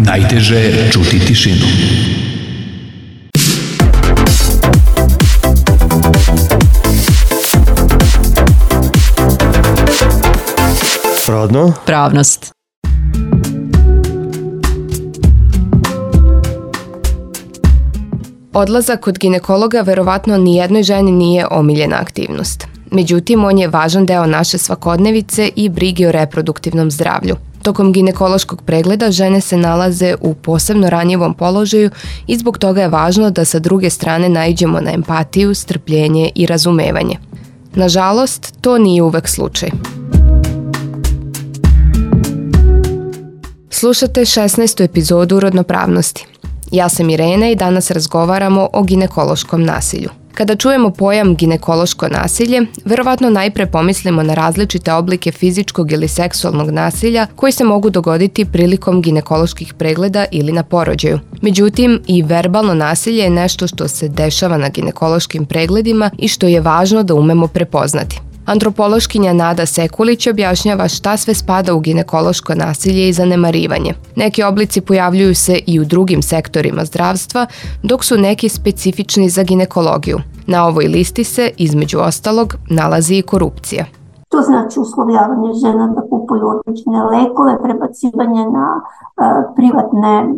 Najteže je čuti tišinu. Rodno? Pravnost. Odlazak kod ginekologa verovatno nijednoj ženi nije omiljena aktivnost. Međutim, on je važan deo naše svakodnevice i brige o reproduktivnom zdravlju. Tokom ginekološkog pregleda žene se nalaze u posebno ranjivom položaju i zbog toga je važno da sa druge strane naiđemo na empatiju, strpljenje i razumevanje. Nažalost, to nije uvek slučaj. Slušate 16. epizodu Rodnopravnosti. Ja sam Irena i danas razgovaramo o ginekološkom nasilju. Kada čujemo pojam ginekološko nasilje, verovatno najpre pomislimo na različite oblike fizičkog ili seksualnog nasilja koji se mogu dogoditi prilikom ginekoloških pregleda ili na porođaju. Međutim, i verbalno nasilje je nešto što se dešava na ginekološkim pregledima i što je važno da umemo prepoznati. Antropološkinja Nada Sekulić objašnjava šta sve spada u ginekološko nasilje i zanemarivanje. Neki oblici pojavljuju se i u drugim sektorima zdravstva, dok su neki specifični za ginekologiju. Na ovoj listi se, između ostalog, nalazi i korupcija. To znači uslovljavanje žena da kupuju određene lekove, prebacivanje na privatne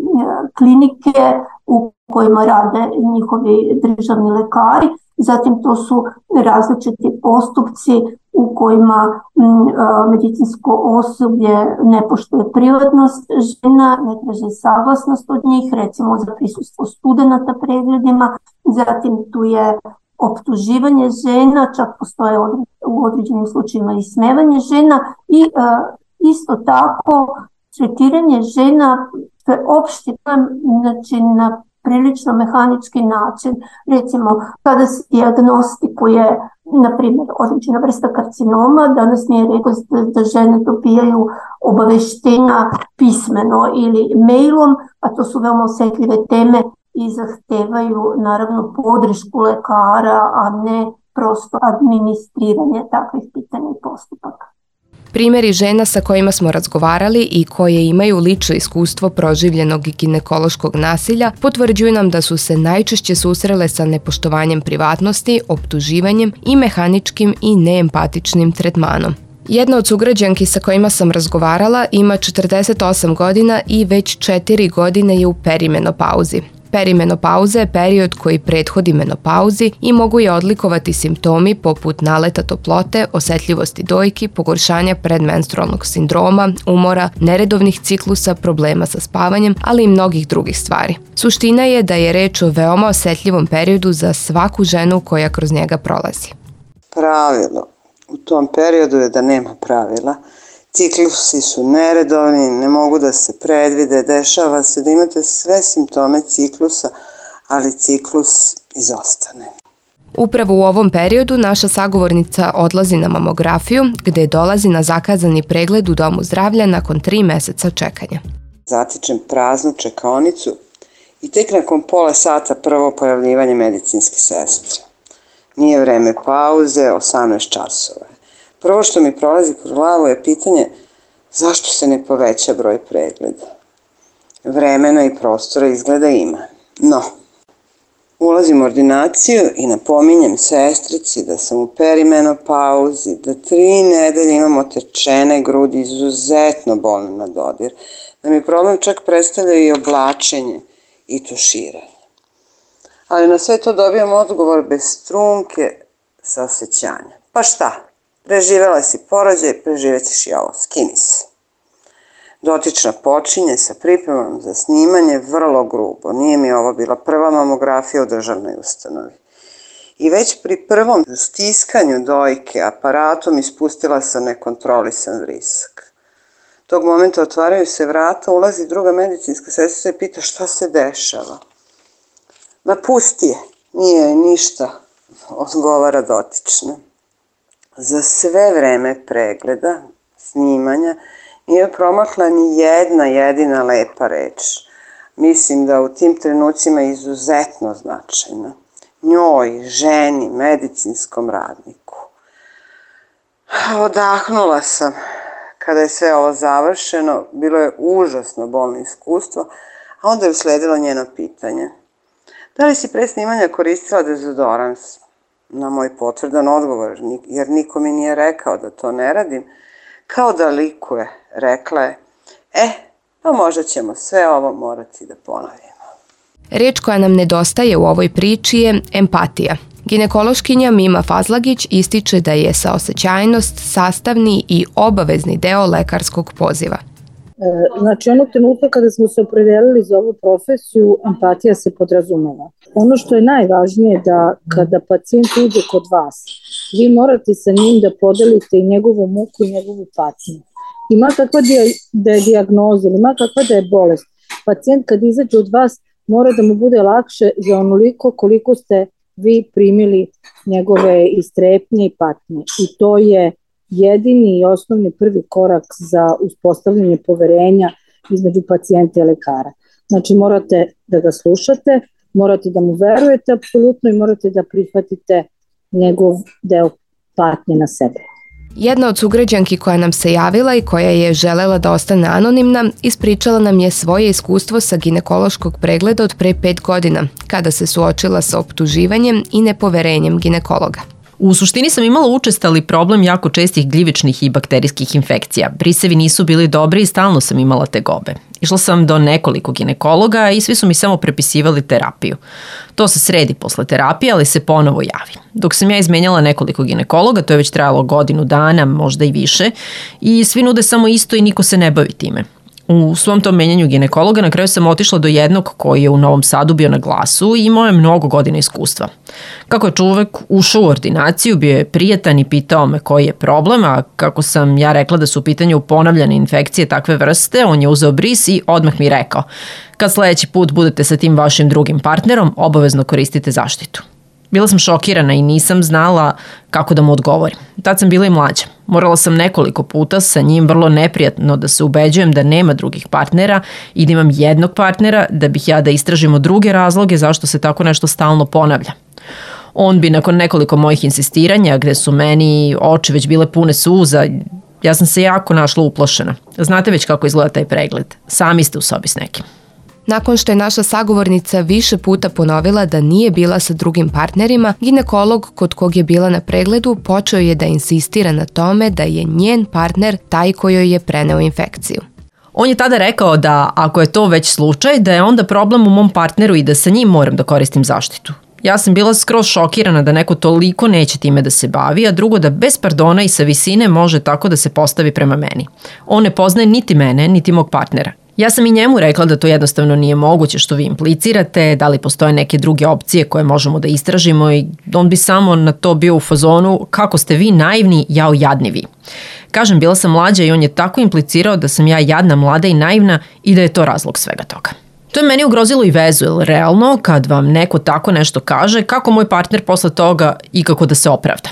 klinike u kojima rade njihovi državni lekari. Zatim to su različiti postupci u kojima medicinsko osoblje ne poštuje privatnost žena, ne traži saglasnost od njih, recimo za prisustvo studenata pregledima. Zatim tu je optuživanje žena, čak postoje u određenim slučajima i smevanje žena i isto tako tretiranje žena opšti, znači na prilično mehanički način. Recimo, kada se dijagnostikuje, na primjer, određena vrsta karcinoma, danas nije rekao da žene dobijaju obaveštenja pismeno ili mailom, a to su veoma osjetljive teme i zahtevaju naravno podršku lekara, a ne prosto administriranje takvih pitanja i postupaka. Primjeri žena sa kojima smo razgovarali i koje imaju lično iskustvo proživljenog ginekološkog nasilja potvrđuju nam da su se najčešće susrele sa nepoštovanjem privatnosti, optuživanjem i mehaničkim i neempatičnim tretmanom. Jedna od sugrađanki sa kojima sam razgovarala ima 48 godina i već 4 godine je u perimenopauzi. Perimenopauza je period koji prethodi menopauzi i mogu je odlikovati simptomi poput naleta toplote, osetljivosti dojki, pogoršanja predmenstrualnog sindroma, umora, neredovnih ciklusa, problema sa spavanjem, ali i mnogih drugih stvari. Suština je da je reč o veoma osetljivom periodu za svaku ženu koja kroz njega prolazi. Pravilo u tom periodu je da nema pravila. Ciklusi su neredovni, ne mogu da se predvide, dešava se da imate sve simptome ciklusa, ali ciklus izostane. Upravo u ovom periodu naša sagovornica odlazi na mamografiju, gde dolazi na zakazani pregled u domu zdravlja nakon 3 meseca čekanja. Zatičem praznu čekaonicu i tek nakon pola sata prvo pojavljivanje medicinske sestre. Nije vreme pauze, 18 časova. Prvo što mi prolazi kroz glavu je pitanje zašto se ne poveća broj pregleda. Vremena i prostora izgleda ima. No, ulazim u ordinaciju i napominjem sestrici da sam u perimenopauzi, da 3 nedelje imam otečene grudi, izuzetno bolne na dodir, da mi problem čak predstavlja i oblačenje i tuširanje. Ali na sve to dobijam odgovor bez trunke saosećanja. Pa šta? Preživela si porođaj, preživet ćeš i ovo, skini se. Dotična počinje sa pripremom za snimanje vrlo grubo. Nije mi ovo bila prva mamografija u državnoj ustanovi. I već pri prvom stiskanju dojke aparatom ispustila sam nekontrolisan vrisak. Tog momenta otvaraju se vrata, ulazi druga medicinska sestra i pita šta se dešava. Ma pusti je, nije ništa, odgovara dotična. Za sve vreme pregleda, snimanja, nije promakla ni jedna jedina lepa reč. Mislim da u tim trenucima je izuzetno značajna. Njoj, ženi, medicinskom radniku. Odahnula sam Kada je sve ovo završeno, bilo je užasno bolno iskustvo, a onda je usledilo njeno pitanje. Da li si pre snimanja koristila dezodorans? Na moj potvrdan odgovor, jer niko mi nije rekao da to ne radim, kao da likuje, rekla je, pa možda ćemo sve ovo morati da ponovimo. Reč koja nam nedostaje u ovoj priči je empatija. Ginekološkinja Mima Fazlagić ističe da je saosećajnost sastavni i obavezni deo lekarskog poziva. Znači, onog trenutka kada smo se opredelili za ovu profesiju, empatija se podrazumeva. Ono što je najvažnije da kada pacijent uđe kod vas, vi morate sa njim da podelite i njegovu muku i njegovu patnju. Ima kakva da je dijagnoza, ima kakva da je bolest. Pacijent kad izađe od vas mora da mu bude lakše za onoliko koliko ste vi primili njegove istrepnje i patnje. I to je jedini i osnovni prvi korak za uspostavljanje poverenja između pacijenta i lekara. Znači morate da ga slušate, morate da mu verujete apsolutno i morate da prihvatite njegov deo patnje na sebe. Jedna od sugrađanki koja nam se javila i koja je želela da ostane anonimna, ispričala nam je svoje iskustvo sa ginekološkog pregleda od pre 5 godina, kada se suočila sa optuživanjem i nepoverenjem ginekologa. U suštini sam imala učestali problem jako čestih gljivičnih i bakterijskih infekcija. Brisevi nisu bili dobri i stalno sam imala tegobe. Išla sam do nekoliko ginekologa i svi su mi samo prepisivali terapiju. To se sredi posle terapije, ali se ponovo javi. Dok sam ja izmenjala nekoliko ginekologa, to je već trajalo godinu dana, možda i više, i svi nude samo isto i niko se ne bavi time. U svom tom menjanju ginekologa na kraju sam otišla do jednog koji je u Novom Sadu bio na Glasu i imao je mnogo godina iskustva. Kako je čovek ušao u ordinaciju, bio je prijatan i pitao me koji je problem, a kako sam ja rekla da su u pitanju ponavljane infekcije takve vrste, on je uzeo bris i odmah mi rekao: kad sledeći put budete sa tim vašim drugim partnerom, obavezno koristite zaštitu. Bila sam šokirana i nisam znala kako da mu odgovorim. Tad sam bila i mlađa. Morala sam nekoliko puta sa njim vrlo neprijatno da se ubeđujem da nema drugih partnera i da imam jednog partnera, da bih ja da istražimo druge razloge zašto se tako nešto stalno ponavlja. On bi nakon nekoliko mojih insistiranja, gde su meni oči već bile pune suza, ja sam se jako našla uplašena. Znate već kako izgleda taj pregled. Sami ste u sobi s nekim. Nakon što je naša sagovornica više puta ponovila da nije bila sa drugim partnerima, ginekolog kod kog je bila na pregledu počeo je da insistira na tome da je njen partner taj kojoj je preneo infekciju. On je tada rekao da ako je to već slučaj, da je onda problem u mom partneru i da sa njim moram da koristim zaštitu. Ja sam bila skroz šokirana da neko toliko neće time da se bavi, a drugo da bez pardona i sa visine može tako da se postavi prema meni. On ne poznaje niti mene, niti mog partnera. Ja sam i njemu rekla da to jednostavno nije moguće što vi implicirate, da li postoje neke druge opcije koje možemo da istražimo, i on bi samo na to bio u fazonu: kako ste vi naivni, jao jadni vi. Kažem, bila sam mlađa i on je tako implicirao da sam ja jadna, mlada i naivna i da je to razlog svega toga. To je meni ugrozilo i vezu, jer realno kad vam neko tako nešto kaže, kako moj partner posle toga ikako da se opravda.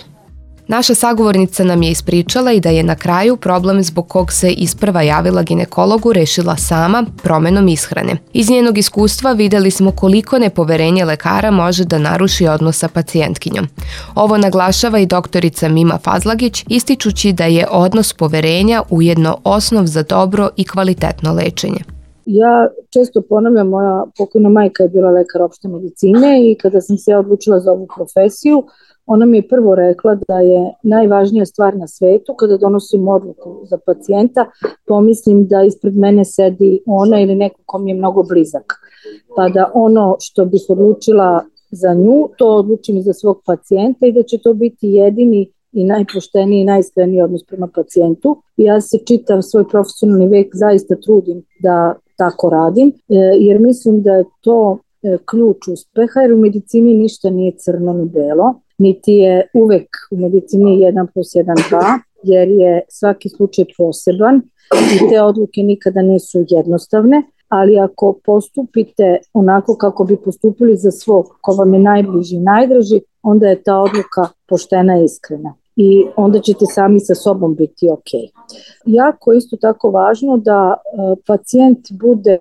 Naša sagovornica nam je ispričala i da je na kraju problem zbog kog se isprva javila ginekologu rešila sama, promenom ishrane. Iz njenog iskustva videli smo koliko nepoverenje lekara može da naruši odnos sa pacijentkinjom. Ovo naglašava i doktorica Mima Fazlagić, ističući da je odnos poverenja ujedno osnov za dobro i kvalitetno lečenje. Ja često ponavljam, moja pokojna majka je bila lekar opšte medicine i kada sam se odlučila za ovu profesiju, ona mi je prvo rekla da je najvažnija stvar na svetu kada donosim odluku za pacijenta, pomislim da ispred mene sedi ona ili neko ko mi je mnogo blizak. Pa da ono što bih odlučila za nju, to odlučim i za svog pacijenta i da će to biti jedini i najpošteniji i najiskreniji odnos prema pacijentu. Ja se čitav svoj profesionalni vek zaista trudim da tako radim, jer mislim da je to ključ uspeha, jer u medicini ništa nije crno ni belo, niti je uvek u medicini 1+1=2, jer je svaki slučaj poseban i te odluke nikada nisu jednostavne, ali ako postupite onako kako bi postupili za svog ko vam je najbliži i najdraži, onda je ta odluka poštena i iskrena i onda ćete sami sa sobom biti ok. Jako isto tako važno da pacijent bude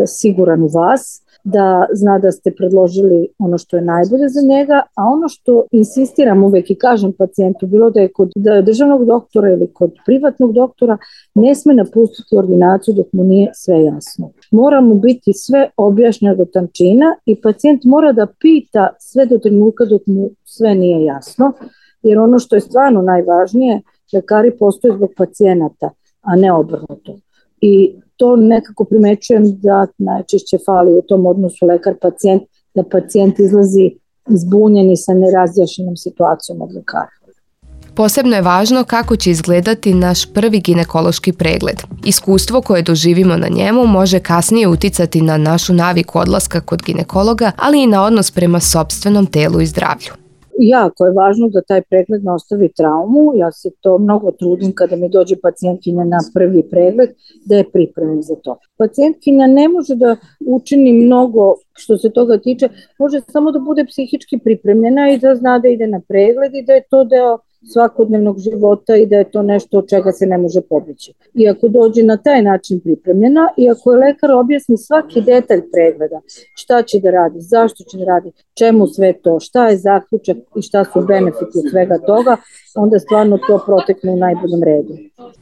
siguran u vas, da zna da ste predložili ono što je najbolje za njega, a ono što insistiram uvek i kažem pacijentu, bilo da je kod državnog doktora ili kod privatnog doktora, ne sme napustiti ordinaciju dok mu nije sve jasno. Mora mu biti sve objašnjeno do tančina i pacijent mora da pita sve do trenutka dok mu sve nije jasno, jer ono što je stvarno najvažnije, lekari postoje zbog pacijenata, a ne obrnuto. I to nekako primećujem da najčešće fali u tom odnosu lekar-pacijent, da pacijent izlazi zbunjen i sa nerazjašnjenom situacijom od lekara. Posebno je važno kako će izgledati naš prvi ginekološki pregled. Iskustvo koje doživimo na njemu može kasnije uticati na našu naviku odlaska kod ginekologa, ali i na odnos prema sopstvenom telu i zdravlju. Jako je važno da taj pregled ne ostavi traumu. Ja se to mnogo trudim kada mi dođe pacijentkinja na prvi pregled, da je pripremim za to. Pacijentkinja ne može da učini mnogo što se toga tiče, može samo da bude psihički pripremljena i da zna da ide na pregled i da je to deo svakodnevnog života i da je to nešto od čega se ne može pobeći. I ako dođe na taj način pripremljena i ako je lekar objasni svaki detalj pregleda, šta će da radi, zašto će da radi, čemu sve to, šta je zaključak i šta su benefiti svega toga, onda stvarno to protekne u najboljem redu.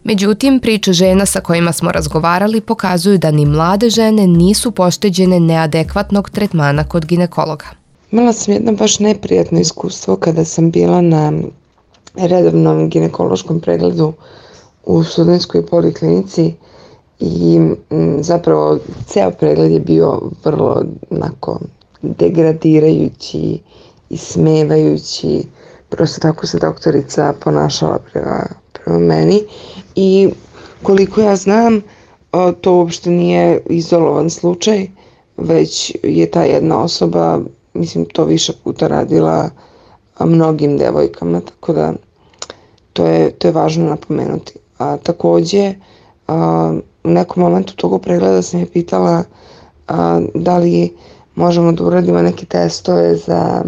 Međutim, priče žena sa kojima smo razgovarali pokazuju da ni mlade žene nisu pošteđene neadekvatnog tretmana kod ginekologa. Imala sam jedno baš neprijatno iskustvo kada sam bila na redovnom ginekološkom pregledu u Studentskoj poliklinici i zapravo ceo pregled je bio vrlo onako degradirajući i smevajući. Prosto tako se doktorica ponašala prema meni i koliko ja znam, to uopšte nije izolovan slučaj, već je ta jedna osoba, mislim, to više puta radila mnogim devojkama, tako da to je važno napomenuti. A takođe, u nekom momentu tog pregleda sam je pitala da li možemo da uradimo neke testove za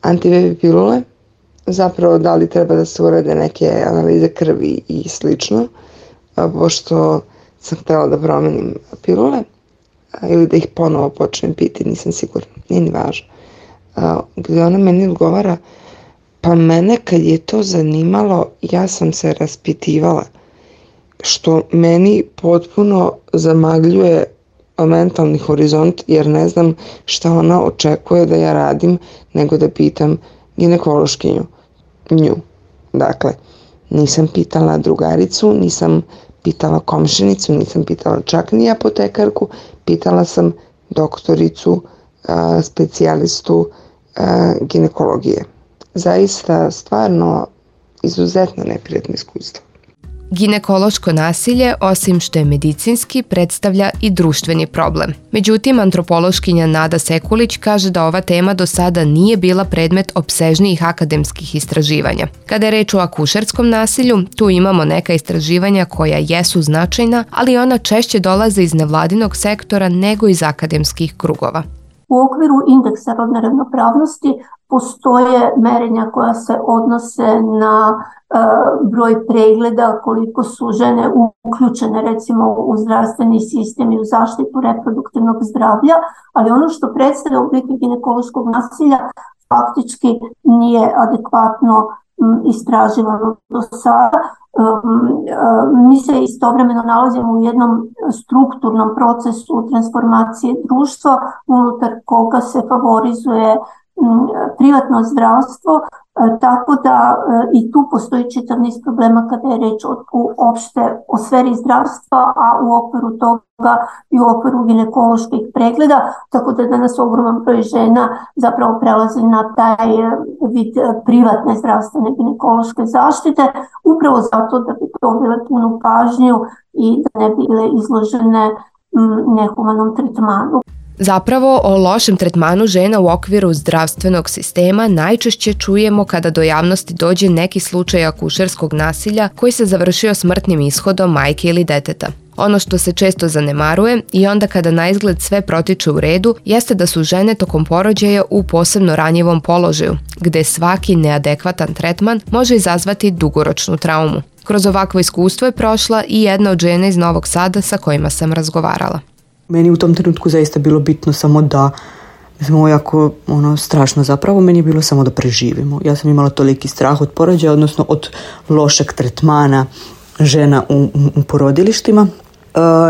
antibaby pilule, zapravo da li treba da se urade neke analize krvi i slično, pošto sam htjela da promenim pilule ili da ih ponovo počnem piti, nisam sigurna, nije ni važno. Gde ona meni odgovara, pa mene kad je to zanimalo, ja sam se raspitivala, što meni potpuno zamagljuje mentalni horizont, jer ne znam šta ona očekuje da ja radim, nego da pitam ginekološkinju, nju. Dakle, nisam pitala drugaricu, nisam pitala komšinicu, nisam pitala čak ni apotekarku, pitala sam doktoricu, specijalistu ginekologije. Zaista, stvarno, izuzetno neprijatno iskustvo. Ginekološko nasilje, osim što je medicinski, predstavlja i društveni problem. Međutim, antropološkinja Nada Sekulić kaže da ova tema do sada nije bila predmet opsežnijih akademskih istraživanja. Kada je reč o akušerskom nasilju, tu imamo neka istraživanja koja jesu značajna, ali ona češće dolaze iz nevladinog sektora nego iz akademskih krugova. U okviru indeksa rodne ravnopravnosti postoje merenja koja se odnose na broj pregleda, koliko su žene uključene recimo u zdravstveni sistem i u zaštitu reproduktivnog zdravlja, ali ono što predstavlja oblike ginekološkog nasilja faktički nije adekvatno istraživano do sada. Mi se istovremeno nalazimo u jednom strukturnom procesu transformacije društva unutar koga se favorizuje privatno zdravstvo, tako da i tu postoji čitav niz problema kada je reč uopšte o sferi zdravstva, a u okviru toga i u okviru ginekoloških pregleda, tako da danas ogroman broj žena zapravo prelazi na taj vid privatne zdravstvene ginekološke zaštite, upravo zato da bi dobile punu pažnju i da ne bile izložene nehumanom tretmanu. Zapravo, o lošem tretmanu žena u okviru zdravstvenog sistema najčešće čujemo kada do javnosti dođe neki slučaj akušerskog nasilja koji se završio smrtnim ishodom majke ili deteta. Ono što se često zanemaruje i onda kada na izgled sve protiče u redu jeste da su žene tokom porođaja u posebno ranjivom položaju, gde svaki neadekvatan tretman može izazvati dugoročnu traumu. Kroz ovakvo iskustvo je prošla i jedna od žena iz Novog Sada sa kojima sam razgovarala. Meni u tom trenutku zaista bilo bitno samo da, ovo je jako strašno zapravo, meni je bilo samo da preživimo. Ja sam imala toliki strah od porođaja, odnosno od lošeg tretmana žena u porodilištima.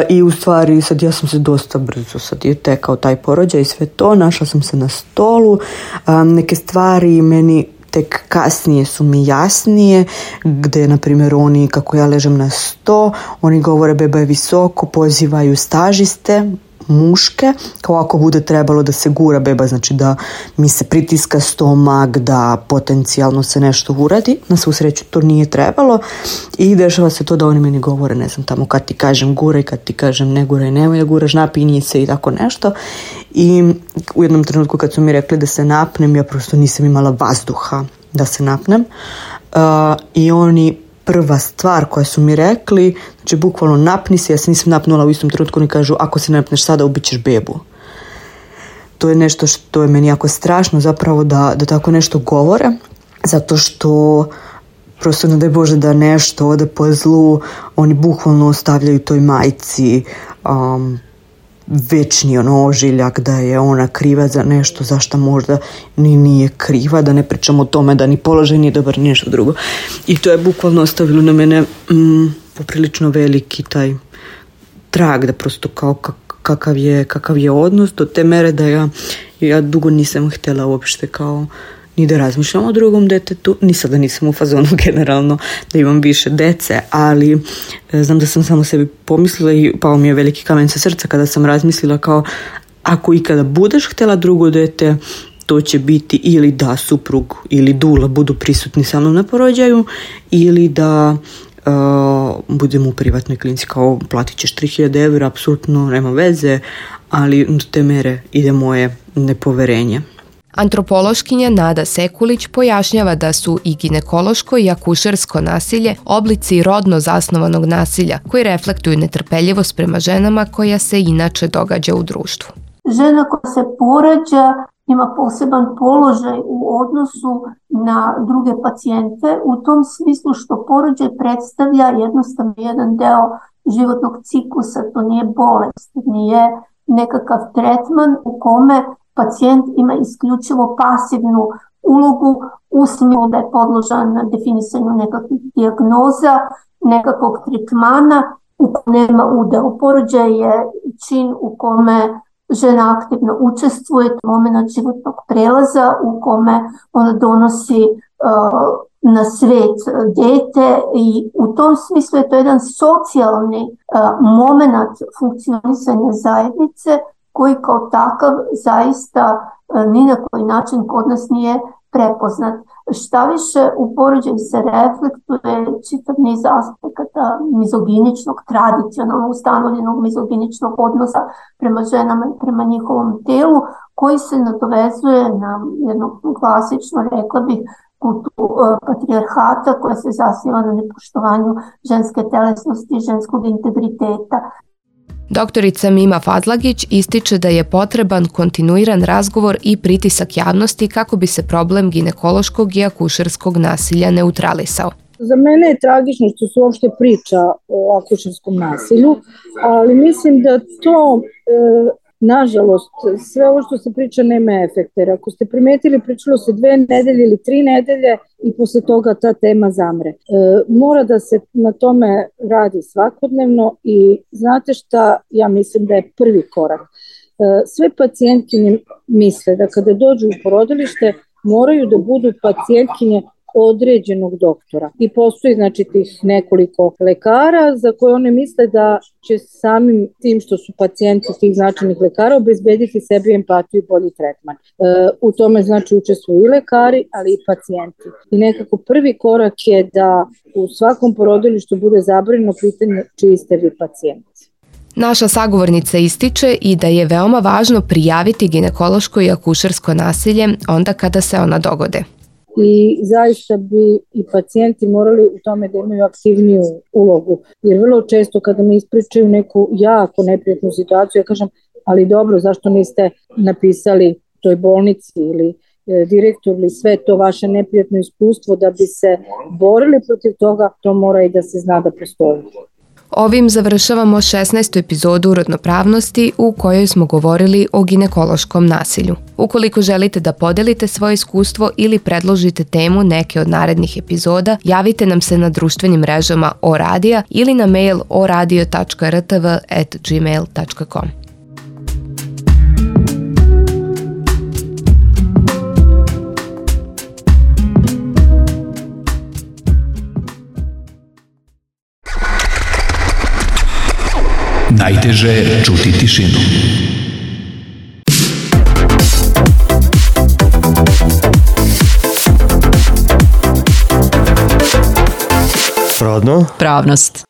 I u stvari sad ja sam se dosta brzo sad je tekao taj porođaj i sve to, našla sam se na stolu, neke stvari meni tek kasnije su mi jasnije, gde na primjer oni, kako ja ležem na sto, oni govore beba je visoko, pozivaju stažiste muške, kao ako bude trebalo da se gura beba, znači da mi se pritiska stomak, da potencijalno se nešto uradi. Na svu sreću to nije trebalo i dešava se to da oni meni govore, ne znam, tamo kad ti kažem guraj, kad ti kažem ne guraj, nemoj da guraš, napinji se i tako nešto. I u jednom trenutku kad su mi rekli da se napnem, ja prosto nisam imala vazduha da se napnem. I oni prva stvar koja su mi rekli, znači bukvalno napni se, ja se nisam napnula u istom trenutku, oni kažu ako se napneš sada ubićeš bebu. To je nešto što je meni jako strašno zapravo da tako nešto govore, zato što prosto ne daj Bože da nešto ode po zlu, oni bukvalno ostavljaju toj majci večni ožiljak da je ona kriva za nešto za što možda ni nije kriva, da ne pričamo o tome da ni položaj nije dobar, ni nešto drugo. I to je bukvalno ostavilo na mene poprilično veliki taj trag, da prosto kao kakav je odnos do te mere da ja dugo nisam htjela uopšte kao ni da razmišljam o drugom detetu, ni sada nisam u fazonu generalno da imam više dece, ali znam da sam samo sebi pomislila i pao mi je veliki kamen sa srca kada sam razmislila kao ako ikada budeš htjela drugo dete, to će biti ili da suprug ili dula budu prisutni sa mnom na porođaju ili da budem u privatnoj klinici, kao platit ćeš 3000 eura, apsolutno nema veze, ali do te mere ide moje nepoverenje. Antropološkinja Nada Sekulić pojašnjava da su i ginekološko i akušersko nasilje oblici rodno zasnovanog nasilja koji reflektuju netrpeljivost prema ženama koja se inače događa u društvu. Žena koja se porađa ima poseban položaj u odnosu na druge pacijente u tom smislu što porođaj predstavlja jednostavno jedan deo životnog ciklusa, to nije bolest, nije nekakav tretman u kome pacijent ima isključivo pasivnu ulogu u smislu da je podložan na definisanju nekakvih dijagnoza, nekakvog tretmana u kojem nema udeo. Porođaj je čin u kome žena aktivno učestvuje, to je moment životnog prelaza u kome ona donosi na svet dete i u tom smislu je to jedan socijalni moment funkcionisanja zajednice koji kao takav zaista ni na koji način kod nas nije prepoznat. Šta više, u porođaju se reflektuje čitav niz aspekata mizoginičnog, tradicionalno ustanovljenog mizoginičnog odnosa prema ženama i prema njihovom telu, koji se nadovezuje na jednu klasično, rekla bih, kulturu patrijarhata koja se zasniva na nepoštovanju ženske telesnosti i ženskog integriteta. Doktorica Mima Fadlagić ističe da je potreban kontinuiran razgovor i pritisak javnosti kako bi se problem ginekološkog i akušerskog nasilja neutralisao. Za mene je tragično što se uopšte priča o akušerskom nasilju, ali mislim da to, nažalost, sve ovo što se priča nema efekta. Jer ako ste primetili, pričalo se 2 nedelje ili 3 nedelje i posle toga ta tema zamre. Mora da se na tome radi svakodnevno i znate šta, ja mislim da je prvi korak. Sve pacijentkinje misle da kada dođu u porodilište moraju da budu pacijentkinje određenog doktora. I postoji znači tih nekoliko lekara za koje one misle da će samim tim što su pacijenti tih značajnih lekara obezbediti sebi empatiju i bolji tretman. U tome znači učestvuju i lekari, ali i pacijenti. I nekako prvi korak je da u svakom porodilištu bude zabranjeno pitanje čiji ste vi pacijenti. Naša sagovornica ističe i da je veoma važno prijaviti ginekološko i akušersko nasilje onda kada se ona dogode. I zaista bi i pacijenti morali u tome da imaju aktivniju ulogu. Jer vrlo često kada mi ispričaju neku jako neprijatnu situaciju, ja kažem, ali dobro, zašto niste napisali toj bolnici ili direktor ili sve to vaše neprijatno iskustvo da bi se borili protiv toga, to mora i da se zna da postoji. Ovim završavamo 16. epizodu Rodnopravnosti u kojoj smo govorili o ginekološkom nasilju. Ukoliko želite da podelite svoje iskustvo ili predložite temu neke od narednih epizoda, javite nam se na društvenim mrežama ORadija ili na mail oradio.rtv@gmail.com. Najteže je čuti tišinu. Rodno. Pravnost.